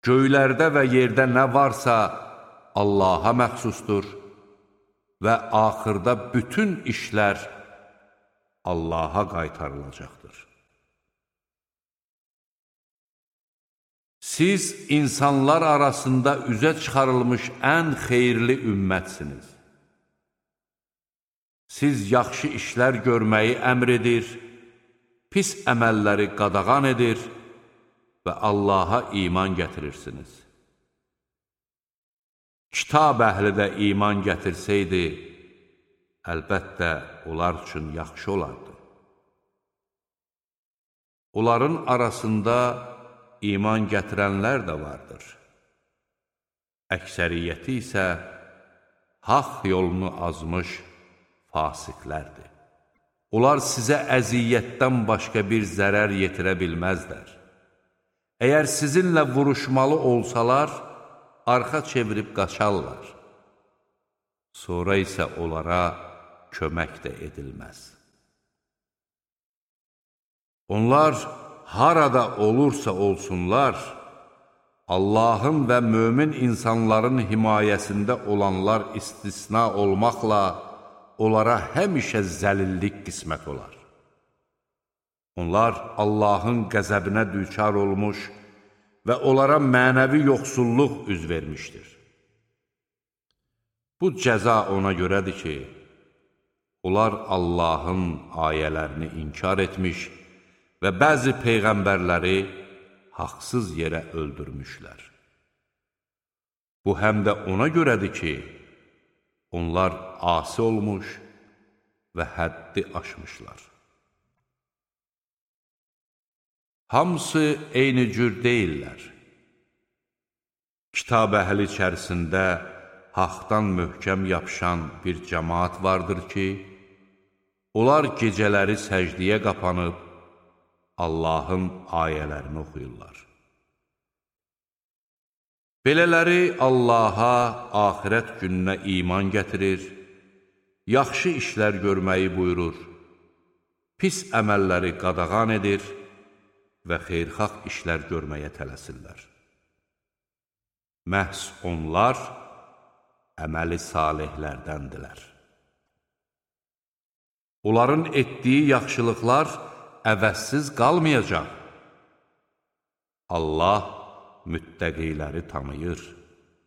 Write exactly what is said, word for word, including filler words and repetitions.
Göylərdə və yerdə nə varsa Allaha məxsusdur və axırda bütün işlər Allaha qaytarılacaqdır. Siz insanlar arasında üzə çıxarılmış ən xeyirli ümmətsiniz. Siz yaxşı işlər görməyi əmr edir, pis əməlləri qadağan edir və Allaha iman gətirirsiniz. Kitab əhli də iman gətirsəydi, əlbəttə onlar üçün yaxşı olardı. Onların arasında iman gətirənlər də vardır. Əksəriyyəti isə haqq yolunu azmış fasiqlərdir. Onlar sizə əziyyətdən başqa bir zərər yetirə bilməzlər. Əgər sizinlə vuruşmalı olsalar, arxa çevirib qaçarlar. Sonra isə onlara kömək də edilməz. Onlar harada olursa olsunlar, Allahın və mömin insanların himayəsində olanlar istisna olmaqla, onlara həmişə zəlillik qismət olar. Onlar Allahın qəzəbinə düçar olmuş və onlara mənəvi yoxsulluq üz vermişdir. Bu cəza ona görədir ki, onlar Allahın ayələrini inkar etmiş və bəzi peyğəmbərləri haqsız yerə öldürmüşlər. Bu həm də ona görədir ki, onlar asi olmuş və həddi aşmışlar. Hamısı eyni cür deyirlər. Kitab əhli içərisində haqdan möhkəm yapışan bir cəmaat vardır ki, onlar gecələri səcdiyə qapanıb, Allahın ayələrini oxuyurlar. Belələri Allaha, axirət gününə iman gətirir, yaxşı işlər görməyi buyurur, pis əməlləri qadağan edir və xeyirxah işlər görməyə tələsirlər. Məhz onlar əməli salihlərdəndirlər. Onların etdiyi yaxşılıqlar əvəzsiz qalmayacaq. Allah müttəqiləri tanıyır.